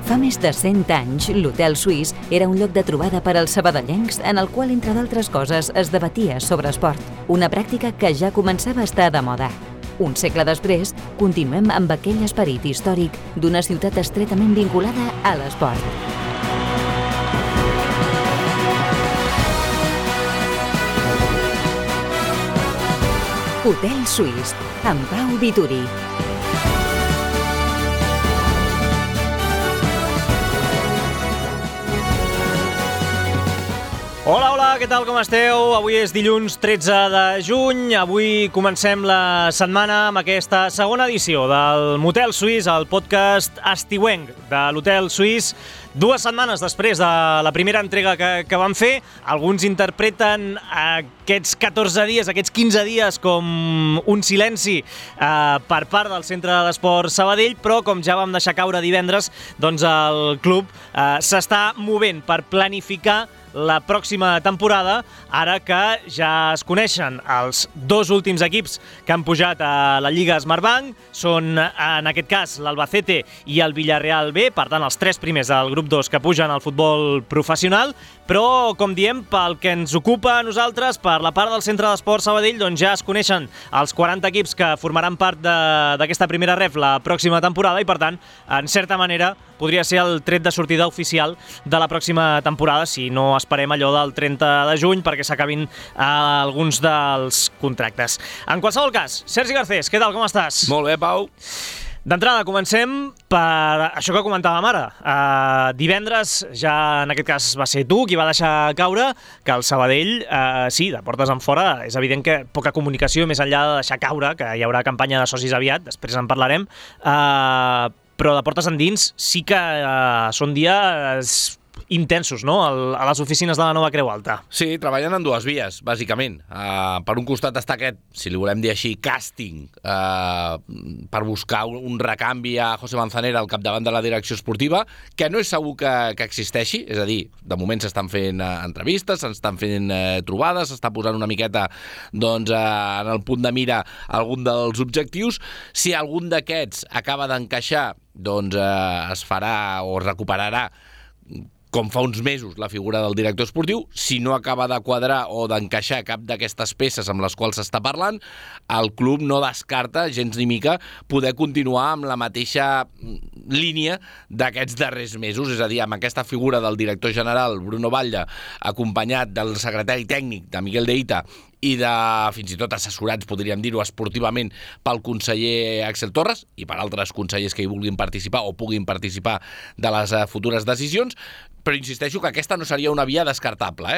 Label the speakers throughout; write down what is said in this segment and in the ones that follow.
Speaker 1: Fa més de 100 anys, l'Hotel Suís era un lloc de trobada per als sabadellencs en el qual, entre d'altres coses, es debatia sobre esport, una pràctica que ja començava a estar de moda. Un segle després, continuem amb aquell esperit històric d'una ciutat estretament vinculada a l'esport. Hotel Suís, amb Pau Vituri.
Speaker 2: Hola, hola, què tal, com esteu? Avui és dilluns 13 de juny. Avui comencem la setmana amb aquesta segona edició del Motel Suís, el podcast estiuenc de l'Hotel Suís. 2 setmanes després de la primera entrega que vam fer, alguns interpreten aquests 14 dies, aquests 15 dies com un silenci per part del Centre d'Esport Sabadell, però com ja vam deixar caure divendres, doncs el club s'està movent per planificar la pròxima temporada, ara que ja es coneixen els 2 últims equips que han pujat a la Lliga Smartbank. Són, en aquest cas, l'Albacete i el Villarreal B, per tant, els 3 primers del grup 2 que pugen al futbol professional, però, com diem, pel que ens ocupa a nosaltres, per la part del Centre d'Esport Sabadell, doncs ja es coneixen els 40 equips que formaran part d'aquesta primera ref la pròxima temporada i, per tant, en certa manera, podria ser el tret de sortida oficial de la pròxima temporada, si no esperem allò del 30 de juny perquè s'acabin alguns dels contractes. En qualsevol cas, Sergi Garcés, què tal, com estàs?
Speaker 3: Molt bé, Pau.
Speaker 2: D'entrada, comencem per això que comentàvem ara. Divendres, ja en aquest cas va ser tu qui va deixar caure que el Sabadell, sí, de portes en fora, és evident que poca comunicació, més enllà de deixar caure, que hi haurà campanya de socis aviat, després en parlarem, però de portes endins sí que són dies intensos, no?, a les oficines de la Nova Creu Alta.
Speaker 3: Sí, treballen en 2 vies, bàsicament. Per un costat està aquest, si li volem dir així, càsting per buscar un recanvi a José Manzanera al capdavant de la direcció esportiva, que no és segur que existeixi, és a dir, de moment s'estan fent entrevistes, s'estan fent trobades, s'està posant una miqueta doncs, en el punt de mira algun dels objectius. Si algun d'aquests acaba d'encaixar, doncs es farà o es recuperarà com fa uns mesos la figura del director esportiu. Si no acaba de quadrar o d'encaixar cap d'aquestes peces amb les quals s'està parlant, el club no descarta gens ni mica poder continuar amb la mateixa línia d'aquests darrers mesos, és a dir, amb aquesta figura del director general Bruno Batlle, acompanyat del secretari tècnic de Miguel de Hita i de, fins i tot assessorats, podríem dir-ho, esportivament pel conseller Axel Torres i per altres consellers que hi vulguin participar o puguin participar de les futures decisions, però insisteixo que aquesta no seria una via descartable,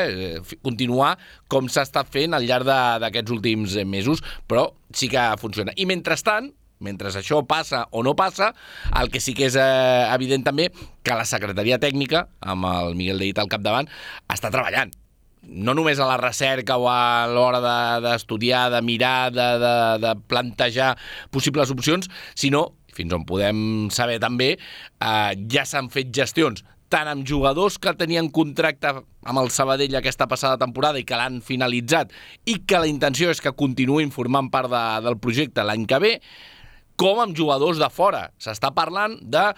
Speaker 3: continuar com s'ha estat fent al llarg d'aquests últims mesos, però sí que funciona. I mentrestant, mentre això passa o no passa, el que sí que és evident també que la secretaria tècnica, amb el Miguel de Hita al capdavant, està treballant. No només a la recerca o a l'hora d'estudiar, de mirar, de plantejar possibles opcions, sinó, fins on podem saber també, ja s'han fet gestions tant amb jugadors que tenien contracte amb el Sabadell aquesta passada temporada i que l'han finalitzat i que la intenció és que continuïn formant part del projecte l'any que ve, com amb jugadors de fora. S'està parlant de,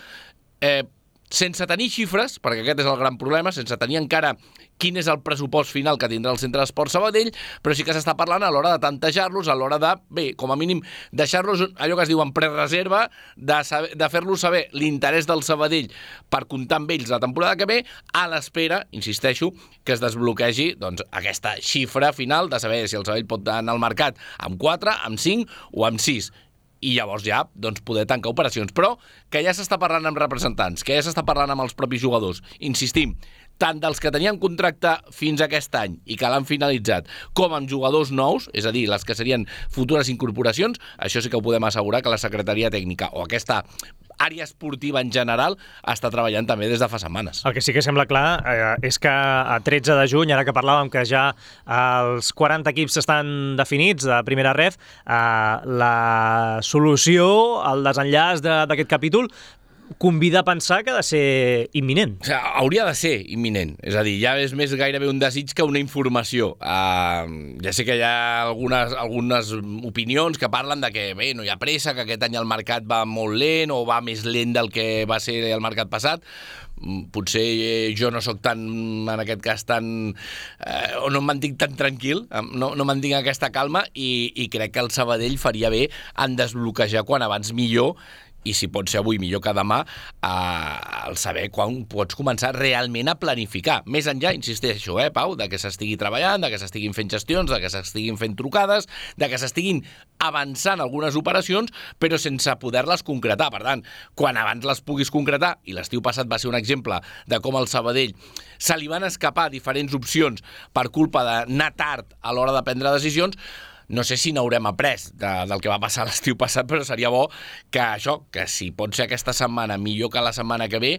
Speaker 3: sense tenir xifres, perquè aquest és el gran problema, sense tenir encara quin és el pressupost final que tindrà el Centre d'Esport Sabadell, però sí que s'està parlant a l'hora de tantejar-los, a l'hora de, bé, com a mínim, deixar-los allò que es diu en prereserva, de fer-los saber l'interès del Sabadell per comptar amb ells la temporada que ve, a l'espera, insisteixo, que es desbloquegi doncs, aquesta xifra final de saber si el Sabadell pot anar al mercat amb 4, amb 5 o amb 6. I llavors ja doncs, poder tancar operacions. Però que ja s'està parlant amb representants, que ja s'està parlant amb els propis jugadors. Insistim, tant dels que tenien contracte fins a aquest any i que l'han finalitzat, com amb jugadors nous, és a dir, les que serien futures incorporacions, això sí que ho podem assegurar que la secretaria tècnica o aquesta àrea esportiva en general està treballant també des de fa setmanes.
Speaker 2: El que sí que sembla clar és que a 13 de juny, ara que parlàvem que ja els 40 equips estan definits de primera ref, la solució, el desenllaç d'aquest capítol convida a pensar que ha de ser imminent.
Speaker 3: O sigui, hauria de ser imminent. És a dir, ja és més gairebé un desig que una informació. Ja sé que hi ha algunes opinions que parlen de que bé, no hi ha pressa, que aquest any el mercat va molt lent o va més lent del que va ser el mercat passat. Potser jo no sóc tan, en aquest cas, o no em mantinc tan tranquil, no mantinc aquesta calma i crec que el Sabadell faria bé en desbloquejar quan abans millor, i si pot ser avui millor que demà, el saber quan pots començar realment a planificar. Més enllà, insisteixo, Pau, de que s'estigui treballant, de que s'estiguin fent gestions, de que s'estiguin fent trucades, de que s'estiguin avançant algunes operacions, però sense poder-les concretar. Per tant, quan abans les puguis concretar, i l'estiu passat va ser un exemple de com al Sabadell se li van escapar diferents opcions per culpa d'anar tard a l'hora de prendre decisions, no sé si n'haurem après del que va passar l'estiu passat, però seria bo que si pot ser aquesta setmana millor que la setmana que ve,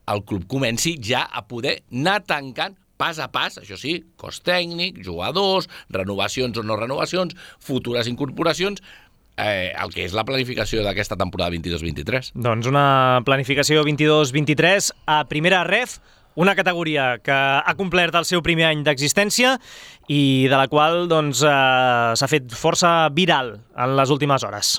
Speaker 3: el club comenci ja a poder anar tancant pas a pas, això sí, cost tècnic, jugadors, renovacions o no renovacions, futures incorporacions, el que és la planificació d'aquesta temporada 22-23.
Speaker 2: Doncs una planificació 22-23 a primera ref, una categoria que ha complert el seu primer any d'existència i de la qual doncs, s'ha fet força viral en les últimes hores.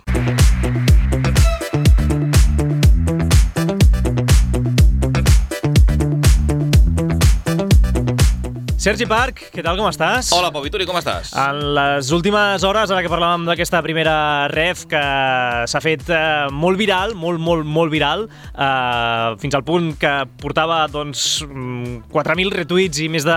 Speaker 2: Sergi Parc, què tal, com estàs?
Speaker 4: Hola, Pau Vituri, com estàs?
Speaker 2: En les últimes hores, ara que parlàvem d'aquesta primera ref que s'ha fet molt viral, molt viral, fins al punt que portava doncs, 4.000 retuits i més de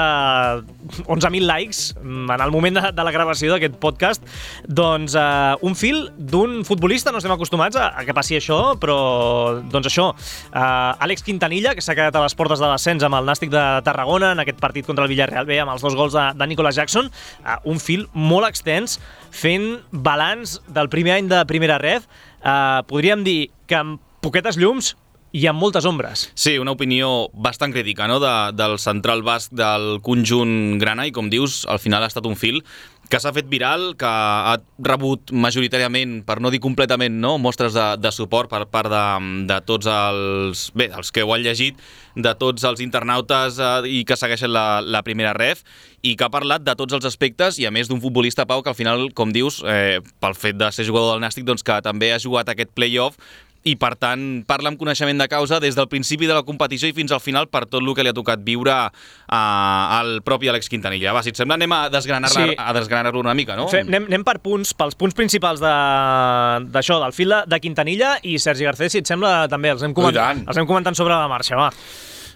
Speaker 2: 11.000 likes en el moment de la gravació d'aquest podcast, doncs un fil d'un futbolista, no estem acostumats a que passi això, però doncs això, Àlex Quintanilla, que s'ha quedat a les portes de l'ascens amb el Nàstic de Tarragona en aquest partit contra el Villarreal B, amb els 2 gols de Nicolas Jackson, un fil molt extens fent balanç del primer any de primera ref. Podríem dir que amb poquetes llums i amb moltes ombres.
Speaker 4: Sí, una opinió bastant crítica, no?, del central basc del conjunt grana, i com dius, al final ha estat un fil que s'ha fet viral, que ha rebut majoritàriament, per no dir completament, no, mostres de suport per part de tots els que ho han llegit, de tots els internautes i que segueixen la primera ref, i que ha parlat de tots els aspectes, i a més d'un futbolista, Pau, que al final, com dius, pel fet de ser jugador del Nàstic, doncs que també ha jugat aquest play-off, i per tant parla amb coneixement de causa des del principi de la competició i fins al final per tot el que li ha tocat viure al propi Àlex Quintanilla. Va, si et sembla, anem a desgranar-lo una mica, no?
Speaker 2: Anem per punts, pels punts principals d'això, del fil de Quintanilla, i Sergi Garcés, si et sembla, també els anem comentant sobre la marxa, va.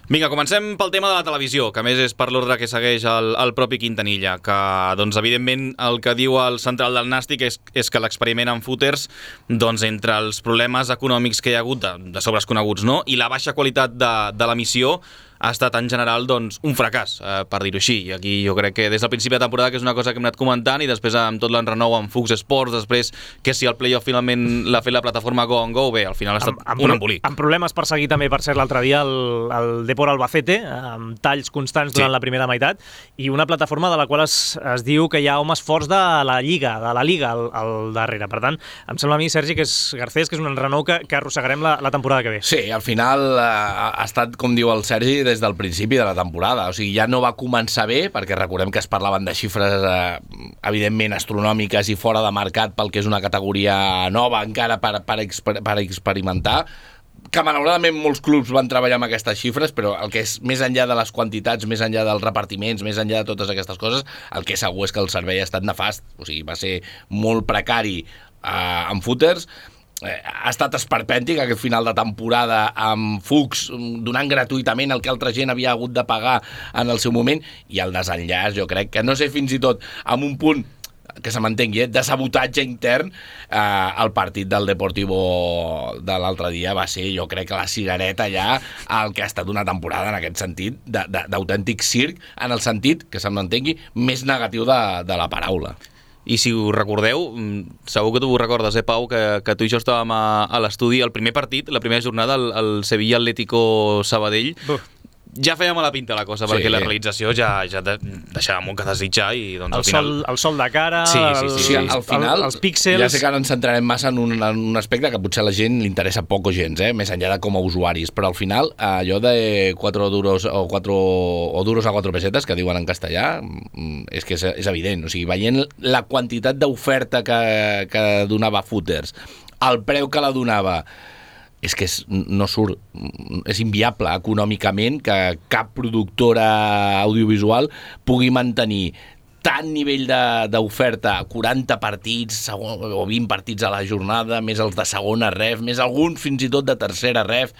Speaker 4: Vinga, comencem pel tema de la televisió, que a més és per l'ordre que segueix el propi Quintanilla, que, doncs, evidentment, el que diu el central del Nàstic és que l'experiment amb footers, doncs, entre els problemes econòmics que hi ha hagut de sobres coneguts, no?, i la baixa qualitat de l'emissió, ha estat en general doncs, un fracàs, per dir-ho així. I aquí jo crec que des del principi de temporada, que és una cosa que hem anat comentant, i després amb tot l'enrenou amb Fox Sports, després que si el playoff finalment l'ha fet la plataforma Go on Go, bé, al final ha estat un embolic.
Speaker 2: Amb problemes per seguir també, per cert, l'altre dia el Depor Albacete, amb talls constants durant la primera meitat, i una plataforma de la qual es diu que hi ha homes forts de la Lliga al darrere. Per tant, em sembla a mi, Sergi, que és Garcés, que és un enrenou que arrossegarem la temporada que ve.
Speaker 3: Sí, al final ha estat, com diu el Sergi, des del principi de la temporada. O sigui, ja no va començar bé, perquè recordem que es parlaven de xifres evidentment astronòmiques i fora de mercat pel que és una categoria nova encara per experimentar, que malauradament molts clubs van treballar amb aquestes xifres, però el que és més enllà de les quantitats, més enllà dels repartiments, més enllà de totes aquestes coses, el que segur és que el servei ha estat nefast. O sigui, va ser molt precari amb footers. Ha estat esperpèntic aquest final de temporada amb Fuchs donant gratuïtament el que altra gent havia hagut de pagar en el seu moment, i el desenllaç, jo crec que, no sé, fins i tot amb un punt que se m'entengui, de sabotatge intern, el partit del Deportivo de l'altre dia va ser, jo crec, que la cigareta ja el que ha estat una temporada en aquest sentit, d'autèntic circ, en el sentit, que se m'entengui, més negatiu de la paraula.
Speaker 4: I si ho recordeu, segur que tu ho recordes, Pau, que tu i jo estàvem a l'estudi, el primer partit, la primera jornada, el Sevilla Atlético Sabadell, ja feia mala pinta la cosa, perquè la realització ja deixava molt que desitjar i doncs al final...
Speaker 2: El sol de cara,
Speaker 3: al final,
Speaker 2: els píxels...
Speaker 3: Ja sé que ara ens centrarem massa en un aspecte que potser a la gent li interessa poc o gens, més enllà de com a usuaris, però al final allò de 4 duros o duros a 4 pesetes, que diuen en castellà, és que és evident. O sigui, veient la quantitat d'oferta que donava Footers, el preu que la donava, és que no surt, és inviable econòmicament que cap productora audiovisual pugui mantenir tant nivell d'oferta, 40 partits o 20 partits a la jornada, més els de segona ref, més alguns fins i tot de tercera ref.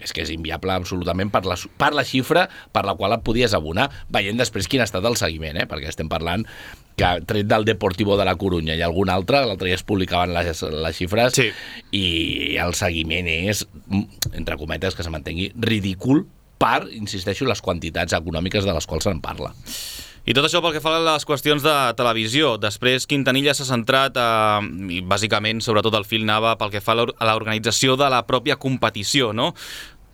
Speaker 3: És que és inviable absolutament per la xifra per la qual et podies abonar, veient després quin ha estat el seguiment, perquè estem parlant que tret del Deportivo de la Corunya i algun altre, l'altre dia es publicaven les xifres, sí. I el seguiment és, entre cometes, que se mantengui ridícul per, insisteixo, les quantitats econòmiques de les quals se'n parla.
Speaker 4: I tot això pel que fa a les qüestions de televisió. Després Quintanilla s'ha centrat, i bàsicament, sobretot el fil anava pel que fa a l'organització de la pròpia competició, no?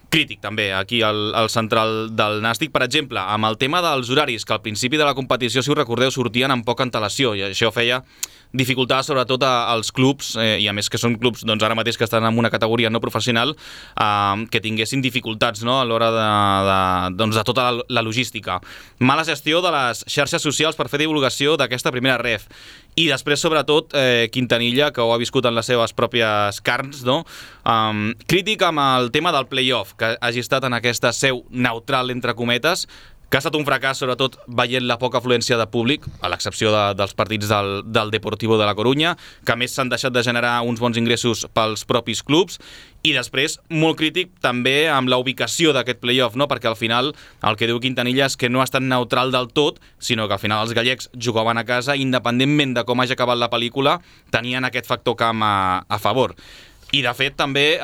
Speaker 4: Crític també aquí al central del Nàstic, per exemple, amb el tema dels horaris, que al principi de la competició, si us recordeu, sortien amb poca antelació, i això feia dificultar sobretot als clubs, i a més que són clubs doncs, ara mateix que estan en una categoria no professional, que tinguessin dificultats, no?, a l'hora de tota la logística. Mala gestió de les xarxes socials per fer divulgació d'aquesta primera ref. I després, sobretot, Quintanilla, que ho ha viscut en les seves pròpies carns, no? Crític amb el tema del play-off, que hagi estat en aquesta seu neutral, entre cometes, que ha estat un fracàs, sobretot veient la poca afluència de públic, a l'excepció dels partits del Deportivo de la Corunya, que a més s'han deixat de generar uns bons ingressos pels propis clubs, i després molt crític també amb la ubicació d'aquest play-off, no? Perquè al final el que diu Quintanilla és que no ha estat neutral del tot, sinó que al final els gallecs jugaven a casa, independentment de com hagi acabat la pel·lícula, tenien aquest factor camp a favor. I de fet també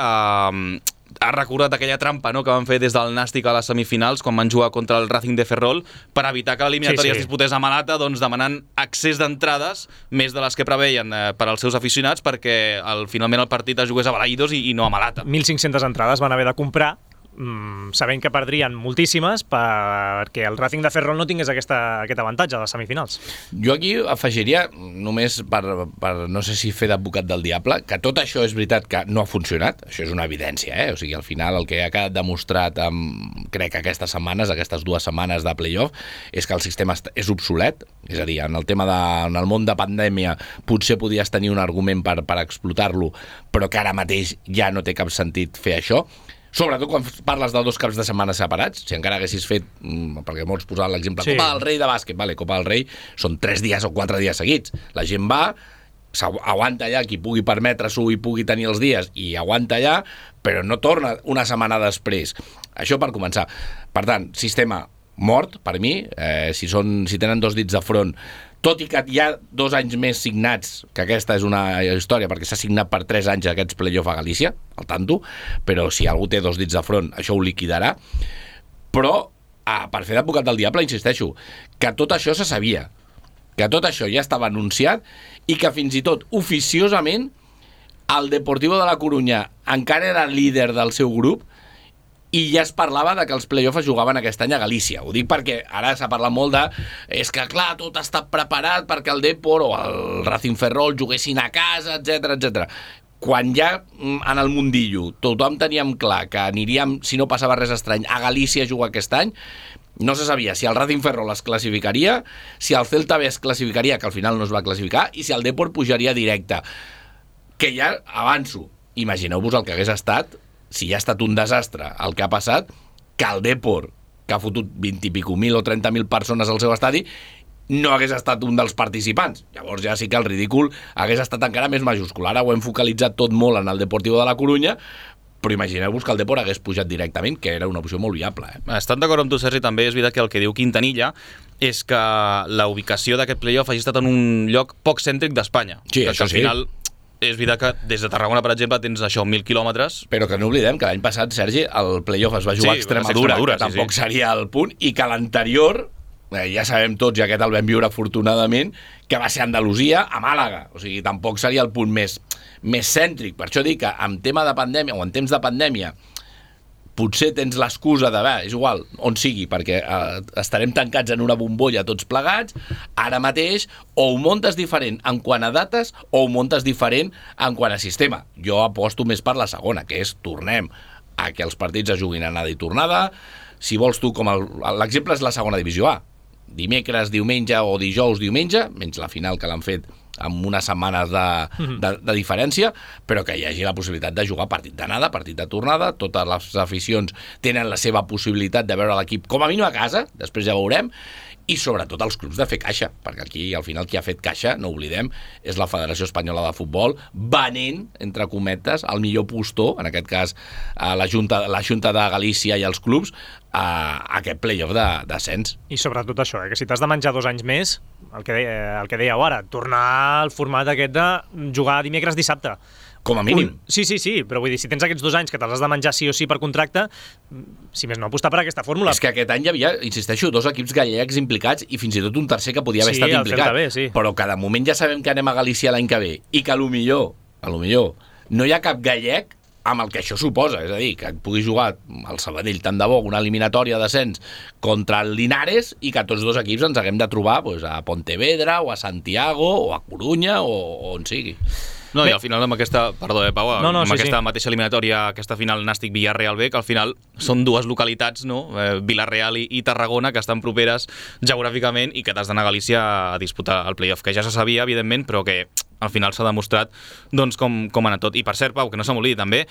Speaker 4: ha recordat aquella trampa, no?, que van fer des del Nàstic a les semifinals quan van jugar contra el Racing de Ferrol per evitar que l'eliminatòria es disputés a Malata, doncs demanant accés d'entrades més de les que preveien per als seus aficionats perquè finalment el partit es jugués a Balaïdos i no a Malata.
Speaker 2: 1.500 entrades van haver de comprar, sabent que perdrien moltíssimes perquè el Racing de Ferrol no tingués aquest avantatge de les semifinals.
Speaker 3: Jo aquí afegiria, només per no sé si fer d'advocat del diable, que tot això és veritat que no ha funcionat, això és una evidència, O sigui, al final el que ha quedat demostrat crec que aquestes 2 setmanes de play-off és que el sistema és obsolet, és a dir, en el tema en el món de pandèmia potser podies tenir un argument per explotar-lo, però que ara mateix ja no té cap sentit fer això. Sobretot quan parles de 2 caps de setmana separats, si encara haguessis fet, perquè molts posaven l'exemple, Copa del Rei de bàsquet, Copa del Rei són 3 dies o 4 dies seguits. La gent va, aguanta allà, qui pugui permetre-s'ho i pugui tenir els dies, i aguanta allà, però no torna una setmana després. Això per començar. Per tant, sistema mort, per mi, si tenen 2 dits de front, tot i que hi ha 2 anys més signats, que aquesta és una història, perquè s'ha signat per 3 anys aquests play-off a Galícia, al tanto, però si algú té 2 dits de front, això ho liquidarà. Però, per fer d'advocat del diable, insisteixo, que tot això se sabia, que tot això ja estava anunciat i que fins i tot oficiosament el Deportivo de la Corunya encara era líder del seu grup i ja es parlava de que els play-offs es jugaven aquest any a Galícia. Ho dic perquè ara s'ha parlat molt és que, clar, tot està preparat perquè el Depor o el Racing Ferrol juguessin a casa, etc. Quan ja en el mundillo tothom teníem clar que aniríem, si no passava res estrany, a Galícia a jugar aquest any, no se sabia si el Racing Ferrol es classificaria, si el Celta B es classificaria, que al final no es va classificar, i si el Depor pujaria directe. Que ja avanço. Imagineu-vos el que hagués estat si ja ha estat un desastre el que ha passat, que el Depor, que ha fotut 20 i pico mil o 30.000 persones al seu estadi, no hagués estat un dels participants. Llavors ja sí que el ridícul hagués estat encara més majúscul. Ara ho hem focalitzat tot molt en el Deportivo de la Corunya, però imagineu-vos que el Depor hagués pujat directament, que era una opció molt viable.
Speaker 4: Estant d'acord amb tu, Sergi, també és veritat que el que diu Quintanilla és que la ubicació d'aquest play-off hagi estat en un lloc poc cèntric d'Espanya.
Speaker 3: Sí, això sí.
Speaker 4: Al final és veritat que des de Tarragona, per exemple, tens això, 1.000 quilòmetres.
Speaker 3: Però que no oblidem que l'any passat, Sergi, el play-off es va jugar a Extremadura, que tampoc seria el punt, i que l'anterior, ja sabem tots, i aquest el vam viure afortunadament, que va ser Andalusia a Màlaga. O sigui, tampoc seria el punt més cèntric. Per això dic que en tema de pandèmia, o en temps de pandèmia, potser tens l'excusa de, és igual, on sigui, perquè estarem tancats en una bombolla tots plegats, ara mateix, o ho muntes diferent en quant a dates, o ho muntes diferent en quant a sistema. Jo aposto més per la segona, que és tornem a que els partits es juguin anada i tornada. Si vols tu, com l'exemple és la segona divisió A. Dimecres, diumenge o dijous, diumenge, menys la final que l'han fet amb unes setmanes de diferència, però que hi hagi la possibilitat de jugar partit d'anada, partit de tornada, totes les aficions tenen la seva possibilitat de veure l'equip com a mínim a casa, després ja veurem, i sobretot els clubs de fer caixa, perquè aquí al final qui ha fet caixa, no oblidem, és la Federació Espanyola de Futbol, venent, entre cometes, el millor postor, en aquest cas la Junta de Galícia i els clubs, a aquest play-off d'ascens.
Speaker 2: I sobretot això, que si t'has de menjar 2 anys més, el que dèieu ara, tornar al format aquest de jugar dimecres-dissabte.
Speaker 3: Com a mínim.
Speaker 2: Sí, però vull dir, si tens aquests 2 anys que te'ls has de menjar sí o sí per contracte, si més no, apostar per aquesta fórmula.
Speaker 3: És que aquest any hi havia, insisteixo, 2 equips gallecs implicats i fins i tot un tercer que podia haver estat implicat.
Speaker 2: Bé, sí.
Speaker 3: Però que de moment ja sabem que anem a Galícia l'any que ve i que potser no hi ha cap gallec amb el que això suposa, és a dir, que pugui jugar el Sabadell tant de bo una eliminatòria d'ascens contra el Linares i que tots 2 equips ens haguem de trobar a Pontevedra o a Santiago o a Corunya o on sigui.
Speaker 4: No, i al final amb aquesta, Pau, aquesta mateixa eliminatòria, aquesta final Nàstic-Villarreal B, que al final són 2 localitats, no? Vilareal i Tarragona, que estan properes geogràficament i que t'has d'anar a Galícia a disputar el play-off, que ja se sabia, evidentment, però que al final s'ha demostrat doncs, com ha anat tot. I per cert, Pau, que no se m'oblidi també,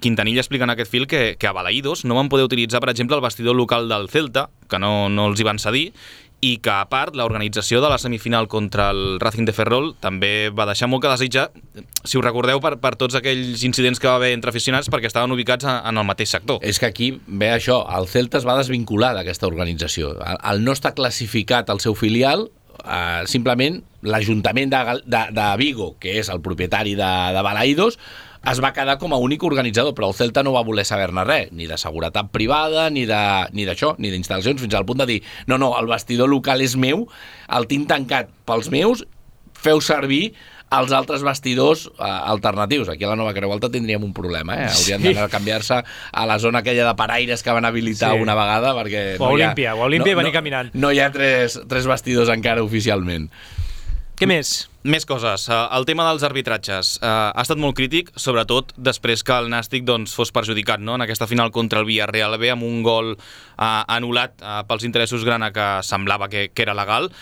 Speaker 4: Quintanilla explica en aquest fil que a Balaïdos no van poder utilitzar, per exemple, el vestidor local del Celta, que no els hi van cedir, i que, a part, l'organització de la semifinal contra el Racing de Ferrol també va deixar molt que desitjar, si ho recordeu, per tots aquells incidents que va haver entre aficionats perquè estaven ubicats en el mateix sector.
Speaker 3: És que aquí ve això, el Celta es va desvincular d'aquesta organització. Al no estar classificat el seu filial, simplement l'Ajuntament de Vigo, que és el propietari de Balaïdos, es va quedar com a únic organitzador, però el Celta no va voler saber-ne res, ni de seguretat privada, ni d'això, ni d'instal·lacions, fins al punt de dir, no, el vestidor local és meu, el tinc tancat pels meus, feu servir els altres vestidors alternatius. Aquí a la Nova Creu Alta tindríem un problema, haurien d'anar a canviar-se a la zona aquella de paraires que van habilitar una vegada, perquè
Speaker 2: o Olímpia i venir caminant.
Speaker 3: No hi ha tres vestidors encara oficialment.
Speaker 2: Què més?
Speaker 4: Més coses. El tema dels arbitratges ha estat molt crític, sobretot després que el Nàstic fos perjudicat, no? En aquesta final contra el Villarreal B amb un gol anul·lat pels interessos grana que semblava que era legal.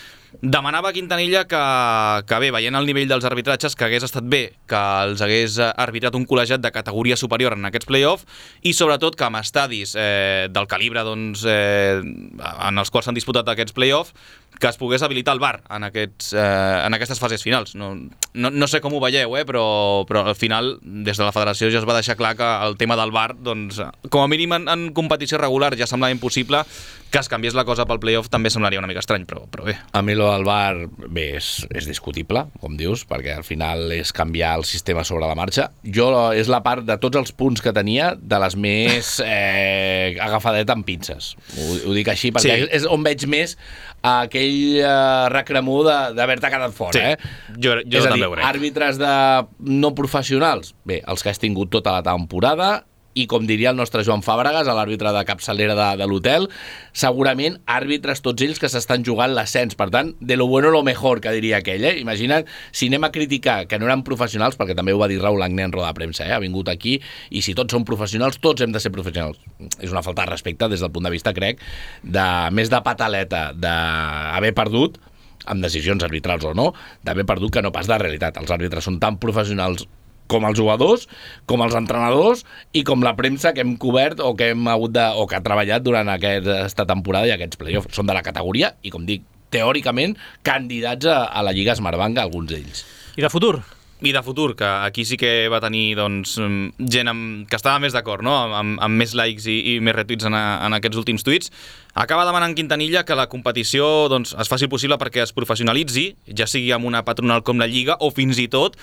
Speaker 4: Demanava a Quintanilla que bé, veient el nivell dels arbitratges, que hagués estat bé que els hagués arbitrat un col·legiat de categoria superior en aquests play-off i sobretot que amb estadis del calibre en els quals s'han disputat aquests play-off que es pogués habilitar el VAR en aquestes fases finals. No sé com ho veieu, però al final des de la federació ja es va deixar clar que el tema del VAR, com a mínim en competició regular ja semblava impossible, que es canviés la cosa pel play-off també semblaria una mica estrany, però bé.
Speaker 3: A mi el VAR, bé, és discutible, com dius, perquè al final és canviar el sistema sobre la marxa. És la part de tots els punts que tenia de les més agafadet amb pinces. Ho dic així perquè és on veig més aquell recremó d'haver-te quedat fora.
Speaker 4: Jo també ho crec.
Speaker 3: Àrbitres no professionals, bé, els que has tingut tota la temporada, i com diria el nostre Joan Fàbregas, l'àrbitre de capçalera de l'hotel, segurament àrbitres tots ells que s'estan jugant l'ascens. Per tant, de lo bueno lo mejor, que diria aquell. Imagina't si anem a criticar que no eren professionals, perquè també ho va dir Raúl Agné en roda de premsa, ha vingut aquí, i si tots som professionals, tots hem de ser professionals. És una falta de respecte des del punt de vista, crec, més de pataleta, d'haver perdut, amb decisions arbitrals o no, d'haver perdut que no pas de realitat. Els àrbitres són tan professionals com els jugadors, com els entrenadors i com la premsa que hem cobert o que ha treballat durant aquesta temporada i aquests play-offs. Són de la categoria i, com dic, teòricament, candidats a la Lliga Smartbank, alguns d'ells.
Speaker 2: I de futur?
Speaker 4: I de futur, que aquí sí que va tenir gent que estava més d'acord, no? amb més likes i més retuits en aquests últims tuits. Acaba demanant Quintanilla que la competició es faci possible perquè es professionalitzi, ja sigui amb una patronal com la Lliga o fins i tot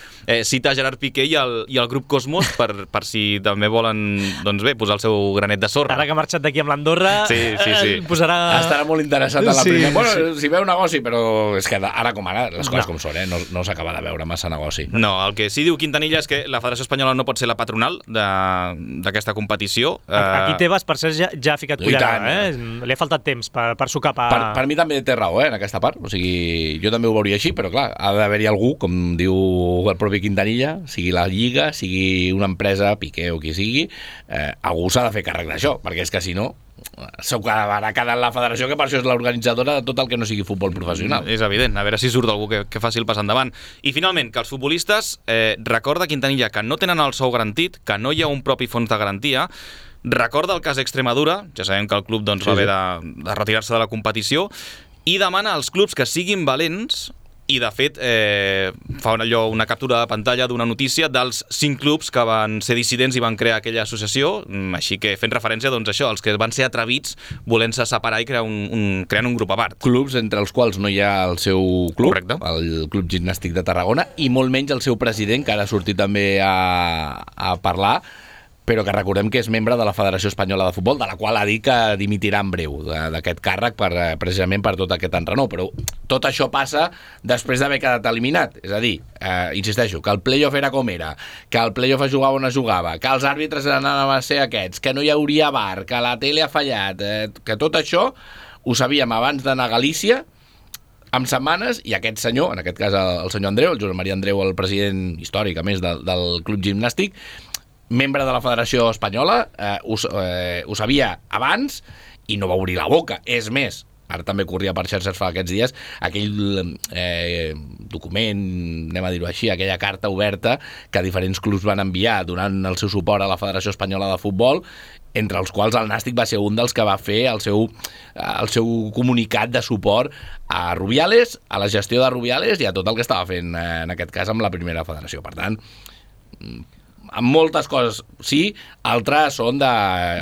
Speaker 4: cita Gerard Piqué i el grup Cosmos per si també volen posar el seu granet de sorra.
Speaker 2: Ara que ha marxat d'aquí amb l'Andorra, posarà...
Speaker 3: Estarà molt interessat en la primera. Bueno, si veu negoci, però és que ara com ara, les coses com són, no s'acaba de veure massa negoci.
Speaker 4: No, el que sí diu Quintanilla és que la Federació Espanyola no pot ser la patronal d'aquesta competició.
Speaker 2: Aquí Tebas, per cert, ja ha ficat cullera, Li ha faltat temps per sucar
Speaker 3: Per mi també té raó, en aquesta part. O sigui, jo també ho veuria així, però clar, ha d'haver-hi algú, com diu el propi Quintanilla, sigui la Lliga, sigui una empresa, Piqué o qui sigui, algú s'ha de fer càrrec d'això, perquè és que si no s'ho acabarà quedant la federació, que per això és l'organitzadora de tot el que no sigui futbol professional.
Speaker 4: És evident, a veure si surt algú que faci el pas endavant. I finalment, que els futbolistes, recorda Quintanilla que no tenen el sou garantit, que no hi ha un propi fons de garantia, recorda el cas d'Extremadura, ja sabem que el club va haver de retirar-se de la competició, i demana als clubs que siguin valents. I, de fet, fa una captura de pantalla d'una notícia dels 5 clubs que van ser dissidents i van crear aquella associació, així que fent referència, doncs, això, els que van ser atrevits volent-se separar i creant un grup a part.
Speaker 3: Clubs entre els quals no hi ha el seu club,
Speaker 4: correcte,
Speaker 3: el Club Gimnàstic de Tarragona, i molt menys el seu president, que ara ha sortit també a parlar, però que recordem que és membre de la Federació Espanyola de Futbol, de la qual ha dit que dimitirà en breu d'aquest càrrec precisament per tot aquest enrenou. Però tot això passa després d'haver quedat eliminat. És a dir, insisteixo, que el play-off era com era, que el play-off es jugava on es jugava, que els àrbitres anaven a ser aquests, que no hi hauria VAR, que la tele ha fallat, que tot això ho sabíem abans d'anar a Galícia, amb setmanes, i aquest senyor, en aquest cas el senyor Andreu, el Josep Maria Andreu, el president històric, a més, del Club Gimnàstic, membre de la Federació Espanyola, ho sabia abans i no va obrir la boca. És més, ara també corria per xarxes fa aquests dies, aquell document, anem a dir-ho així, aquella carta oberta que diferents clubs van enviar donant el seu suport a la Federació Espanyola de Futbol, entre els quals el Nàstic va ser un dels que va fer el seu comunicat de suport a Rubiales, a la gestió de Rubiales i a tot el que estava fent, en aquest cas, amb la primera federació. Per tant, amb moltes coses sí, altres són de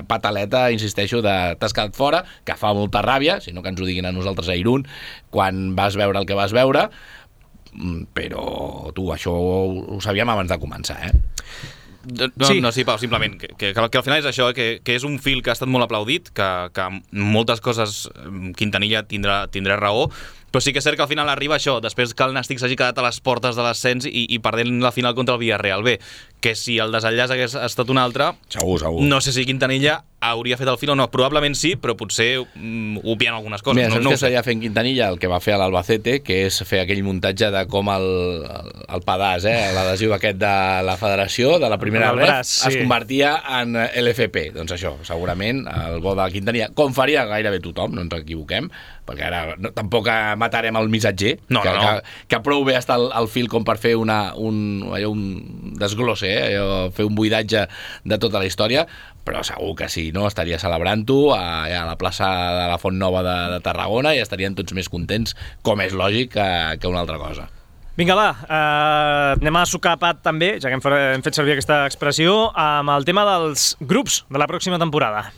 Speaker 3: pataleta, insisteixo, de t'has quedat fora, que fa molta ràbia, si no que ens ho diguin a nosaltres a Irún, quan vas veure el que vas veure, però tu, això ho sabíem abans de començar,
Speaker 4: Sí, Pau, simplement que al final és això, que és un fil que ha estat molt aplaudit, que moltes coses Quintanilla tindrà raó, però sí que és cert que al final arriba això, després que el Nàstic s'hagi quedat a les portes de l'ascens i perdent la final contra el Villarreal B, que si el desenllaç hagués estat un altre,
Speaker 3: segur.
Speaker 4: No sé si Quintanilla hauria fet el fil o no, probablement sí, però potser obviant algunes coses.
Speaker 3: Mira, saps què estaria fent Quintanilla? El que va fer a l'Albacete, que és fer aquell muntatge de com el pedaç, l'adhesiu aquest de la federació, de la primera ref, es convertia en LFP. Doncs això, segurament, el bo de Quintanilla, com faria gairebé tothom, no ens equivoquem, perquè ara tampoc matarem el missatger, que prou bé està el fil com per fer un desglosse, fer un buidatge de tota la història, però segur que si no estaria celebrant-ho a la plaça de la Font Nova de Tarragona i estarien tots més contents, com és lògic, que una altra cosa.
Speaker 2: Vinga, va, anem a sucar pat també, ja que hem fet servir aquesta expressió, amb el tema dels grups de la pròxima temporada.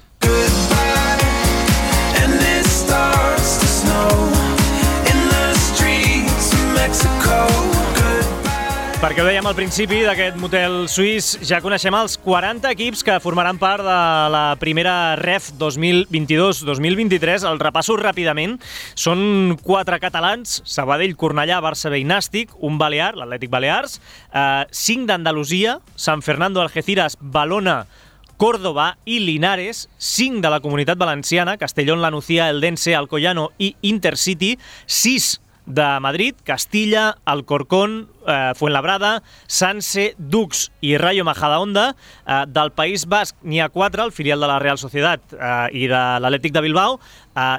Speaker 2: Perquè ho dèiem al principi d'aquest motel suís, ja coneixem els 40 equips que formaran part de la primera REF 2022-2023. El repasso ràpidament. Són 4 catalans, Sabadell, Cornellà, Barça B i Nàstic, un balear, l'Atlètic Balears, 5 d'Andalusia, San Fernando, Algeciras, Valona, Córdoba i Linares, 5 de la Comunitat Valenciana, Castellón, La Nucía, Eldense, Alcoyano i Intercity, 6 de Madrid, Castilla, Alcorcón, Fuenlabrada, Sanse, Dux i Rayo Majadahonda. Del País Basc n'hi ha 4, el filial de la Real Sociedad i de l'Atlètic de Bilbao,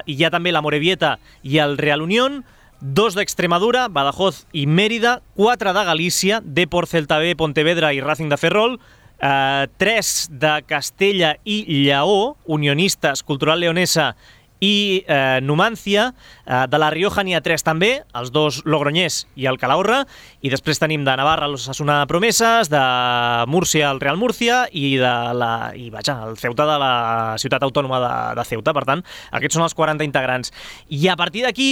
Speaker 2: i hi ha també la Morevieta i el Real Unión, 2 d'Extremadura, Badajoz i Mèrida, 4 de Galícia, Depor, Celta B, Pontevedra i Racing de Ferrol, 3 de Castella i Lleó, Unionistes, Cultural Leonesa i Numancia. De la Rioja n'hi ha 3 també, els 2 Logroñés i el Calahorra, i després tenim de Navarra l'Osasuna Promeses, de Múrcia el Real Múrcia i el Ceuta de la ciutat autònoma de Ceuta. Per tant, aquests són els 40 integrants. I a partir d'aquí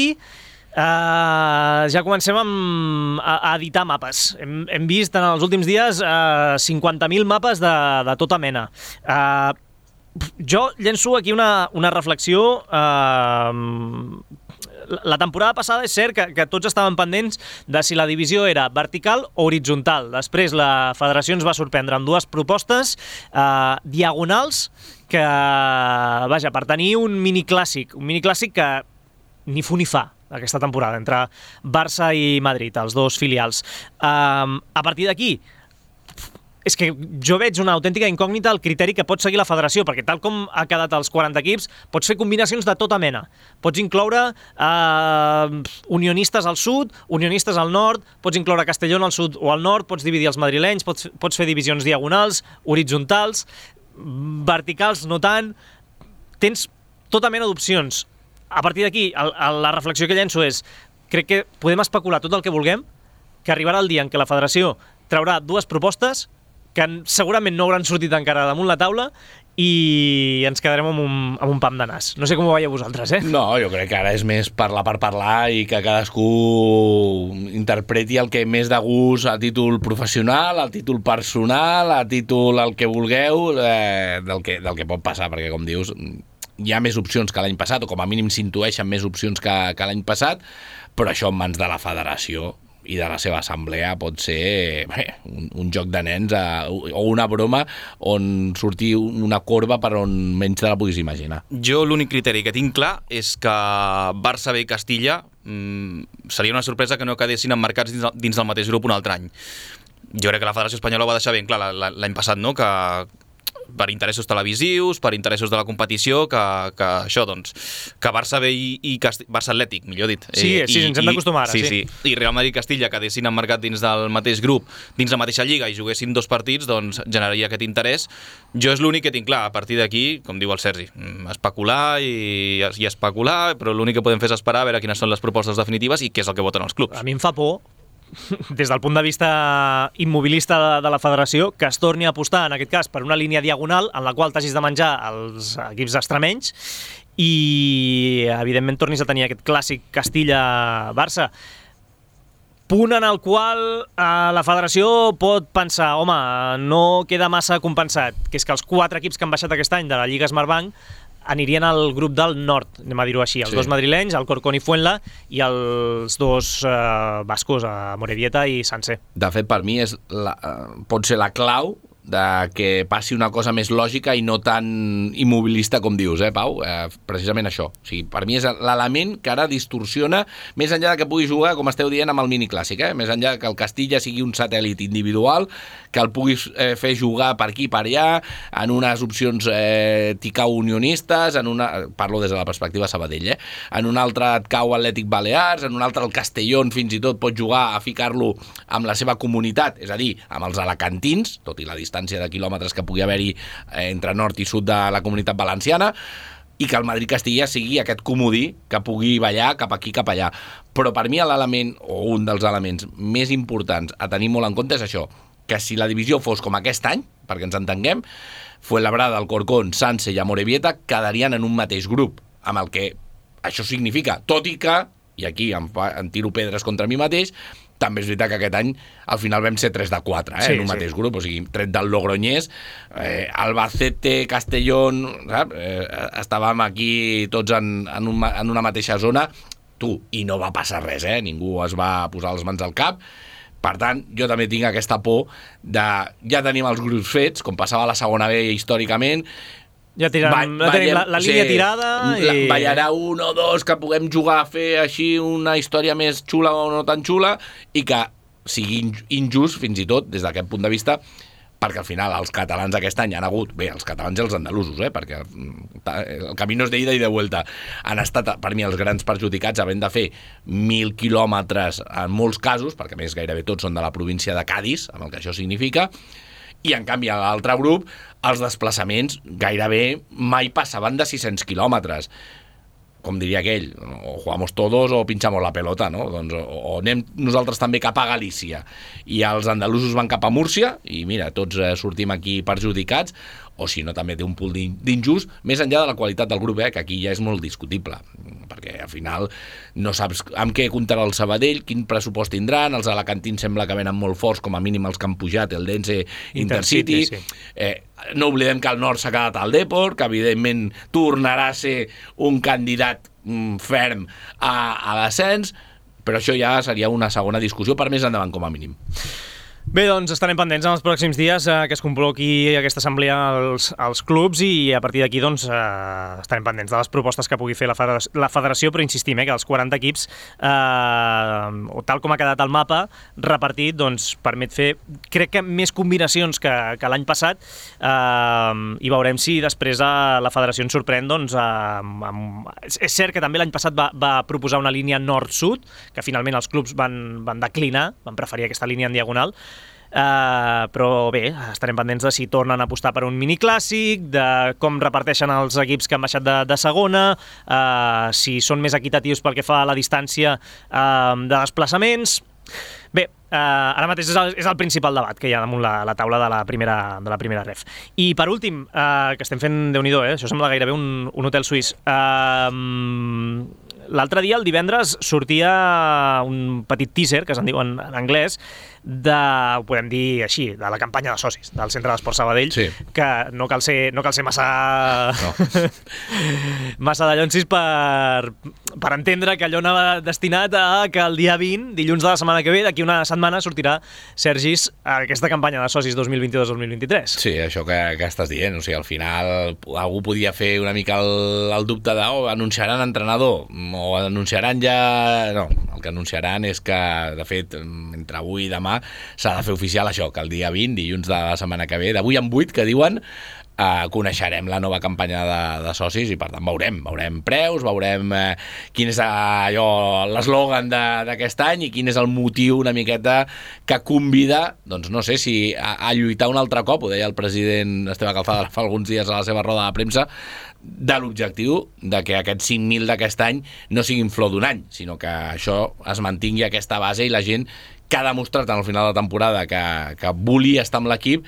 Speaker 2: ja comencem a editar mapes. Hem vist en els últims dies 50.000 mapes de tota mena. Jo llenço aquí una reflexió la temporada passada és cert que tots estaven pendents de si la divisió era vertical o horitzontal. Després la federació ens va sorprendre amb dues propostes diagonals que, vaja, per tenir un miniclàssic que ni fu ni fa aquesta temporada entre Barça i Madrid, els dos filials. A partir d'aquí, és que jo veig una autèntica incògnita al criteri que pot seguir la federació, perquè tal com ha quedat els 40 equips, pots fer combinacions de tota mena. Pots incloure unionistes al sud, unionistes al nord, pots incloure Castellón al sud o al nord, pots dividir els madrilenys, pots fer divisions diagonals, horitzontals, verticals no tant. Tens tota mena d'opcions. A partir d'aquí, la reflexió que llenço és, crec que podem especular tot el que vulguem, que arribarà el dia en què la federació traurà dues propostes que segurament no hauran sortit encara damunt la taula i ens quedarem amb un pam de nas. No sé com ho veieu vosaltres,
Speaker 3: No, jo crec que ara és més parlar per parlar i que cadascú interpreti el que més de gust a títol professional, a títol personal, a títol el que vulgueu, del que pot passar, perquè com dius, hi ha més opcions que l'any passat, o com a mínim s'intueixen més opcions que l'any passat, però això en mans de la federació i de la seva assemblea pot ser un joc de nens o una broma on surti una corba per on menys te la puguis imaginar.
Speaker 4: Jo l'únic criteri que tinc clar és que Barça B i Castilla seria una sorpresa que no quedessin emmarcats dins del mateix grup un altre any. Jo crec que la Federació Espanyola ho va deixar ben clar l'any passat, no? Que per interessos televisius, per interessos de la competició, que això, doncs, que Barça B i Barça Atlètic, millor dit.
Speaker 2: Sí, ens hem d'acostumar ara.
Speaker 4: Sí. I Real Madrid i Castilla quedessin emmarcat dins del mateix grup, dins la mateixa lliga, i juguessin dos partits, doncs generaria aquest interès. Jo és l'únic que tinc clar. A partir d'aquí, com diu el Sergi, especular i especular, però l'únic que podem fer és esperar a veure quines són les propostes definitives i què és el que voten els clubs.
Speaker 2: A mi em fa por, des del punt de vista immobilista de la federació, que es torni a apostar, en aquest cas, per una línia diagonal en la qual t'hagis de menjar els equips extremenys i, evidentment, tornis a tenir aquest clàssic Castilla-Barça. Punt en el qual la federació pot pensar, home, no queda massa compensat, que és que els 4 equips que han baixat aquest any de la Lliga Smartbank anirien al grup del nord, anem a dir-ho així, els dos madrilenys, el Corcón i Fuenla, i els dos bascos, Morevieta i Sanse.
Speaker 3: De fet, per mi pot ser la clau de que passi una cosa més lògica i no tan immobilista com dius, Pau? Precisament això. O sigui, per mi és l'element que ara distorsiona, més enllà de que pugui jugar, com esteu dient, amb el miniclàssic, més enllà que el Castilla sigui un satèl·lit individual, que el puguis fer jugar per aquí i per allà, en unes opcions ticau unionistes, parlo des de la perspectiva Sabadell, en un altre et cau Atlètic Balears, en un altre el Castellón fins i tot pot jugar a ficar-lo amb la seva comunitat, és a dir, amb els alacantins, tot i la distància de quilòmetres que pugui haver-hi entre nord i sud de la comunitat valenciana, i que el Madrid-Castilla sigui aquest comodí que pugui ballar cap aquí, cap allà. Però per mi l'element, o un dels elements més importants a tenir molt en compte és això, que si la divisió fos com aquest any, perquè ens entenguem, Fuenlabrada, el Corcón, Sanse i Amorebieta quedarien en un mateix grup, amb el que això significa, tot i que, i aquí em tiro pedres contra mi mateix, també és veritat que aquest any al final vam ser 3 de 4 en un mateix grup, o sigui, tret del Logroñés, Albacete, Castellón, estàvem aquí tots en una mateixa zona, i no va passar res, ningú es va posar les mans al cap. Per tant, jo també tinc aquesta por de ja tenim els grups fets, com passava a la segona B històricament,
Speaker 2: ja tenim la línia tirada i...
Speaker 3: ballarà 1 o 2 que puguem jugar a fer així una història més xula o no tan xula i que sigui injust fins i tot des d'aquest punt de vista, perquè al final els catalans aquest any han hagut, bé, els catalans i els andalusos, perquè el camí no és d'ida i de vuelta, han estat per mi els grans perjudicats havent de fer 1.000 quilòmetres en molts casos, perquè més gairebé tots són de la província de Cádiz, amb el que això significa, i en canvi a l'altre grup els desplaçaments gairebé mai passaven de 600 quilòmetres. Com diria aquell, o jugamos todos o pinchamos la pelota, no? Doncs o anem nosaltres també cap a Galícia i els andalusos van cap a Múrcia i mira, tots sortim aquí perjudicats, o si no també té un punt d'injust, més enllà de la qualitat del grup, que aquí ja és molt discutible, perquè al final no saps amb què comptarà el Sabadell, quin pressupost tindran, els alacantins sembla que venen molt forts, com a mínim els que han pujat, el Dense Intercity, sí. No oblidem que al nord s'ha quedat el Depor, que evidentment tornarà a ser un candidat ferm a l'ascens, però això ja seria una segona discussió per més endavant, com a mínim.
Speaker 2: Bé, doncs estarem pendents en els pròxims dies que es convoqui aquesta assemblea als clubs i a partir d'aquí doncs, estarem pendents de les propostes que pugui fer la federació, però insistim que els 40 equips, tal com ha quedat el mapa repartit, doncs, permet fer, crec que més combinacions que l'any passat, i veurem si després la federació ens sorprèn. Doncs, és cert que també l'any passat va proposar una línia nord-sud, que finalment els clubs van declinar, van preferir aquesta línia en diagonal. Però bé, estarem pendents de si tornen a apostar per un miniclàssic, de com reparteixen els equips que han baixat de segona, si són més equitatius pel que fa a la distància de desplaçaments. Bé, ara mateix és el principal debat que hi ha damunt la taula de la primera ref. I per últim, que estem fent Déu-n'hi-do, això sembla gairebé un hotel suís. L'altre dia, el divendres, sortia un petit teaser, que se'n diu en anglès, ho podem dir així, de la campanya de socis del Centre d'Esport Sabadell, sí. Que no cal ser massa massa dallonsis per entendre que allò anava destinat a que el dia 20, dilluns de la setmana que ve, d'aquí una setmana, sortirà, Sergis, aquesta campanya de socis 2022-2023.
Speaker 3: Sí, això que estàs dient, o sigui, al final algú podia fer una mica el dubte de anunciaran entrenador, o anunciaran ja... No, el que anunciaran és que, de fet, entre avui i demà s'ha de fer oficial això, que el dia 20, dilluns de la setmana que ve, d'avui en 8, que diuen, coneixerem la nova campanya de socis i per tant veurem preus, veurem quin és l'eslògan d'aquest any i quin és el motiu una miqueta que convida, doncs no sé si a lluitar un altre cop, ho deia el president Esteve Calzada fa alguns dies a la seva roda de premsa, de l'objectiu de que aquests 5.000 d'aquest any no siguin flor d'un any, sinó que això es mantingui aquesta base i la gent que ha demostrat al final de la temporada que volia estar amb l'equip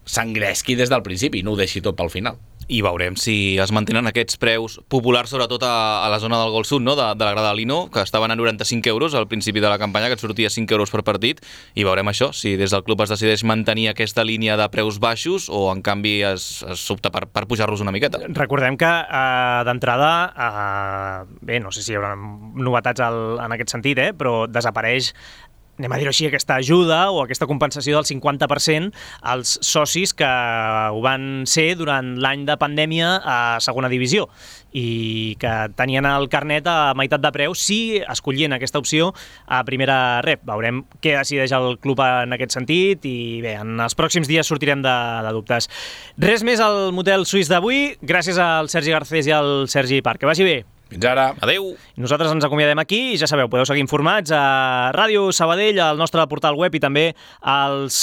Speaker 3: s'engresqui des del principi, no ho deixi tot pel final.
Speaker 4: I veurem si es mantenen aquests preus populars, sobretot a la zona del Gol Sud, no? de la grada Lino, que estaven a 95 euros al principi de la campanya, que et sortia 5 euros per partit, i veurem això, si des del club es decideix mantenir aquesta línia de preus baixos o en canvi s'opta per pujar-los una miqueta.
Speaker 2: Recordem que d'entrada, bé, no sé si hi haurà novetats en aquest sentit, però desapareix, anem a dir-ho així, aquesta ajuda o aquesta compensació del 50% als socis que ho van ser durant l'any de pandèmia a segona divisió i que tenien el carnet a meitat de preu si escollien aquesta opció a primera rep. Veurem què decideix el club en aquest sentit i bé, en els pròxims dies sortirem de dubtes. Res més al motel suís d'avui. Gràcies al Sergi Garcés i al Sergi Parc. Que vagi bé.
Speaker 3: Fins ara.
Speaker 4: Adéu.
Speaker 2: Nosaltres ens acomiadem aquí i ja sabeu, podeu seguir informats a Ràdio Sabadell, al nostre portal web i també als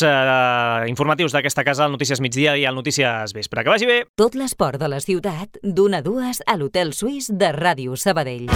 Speaker 2: informatius d'aquesta casa, al Notícies Migdia i al Notícies Vespre. Que vagi bé!
Speaker 1: Tot l'esport de la ciutat, d'1 a 2 a l'Hotel Suís de Ràdio Sabadell.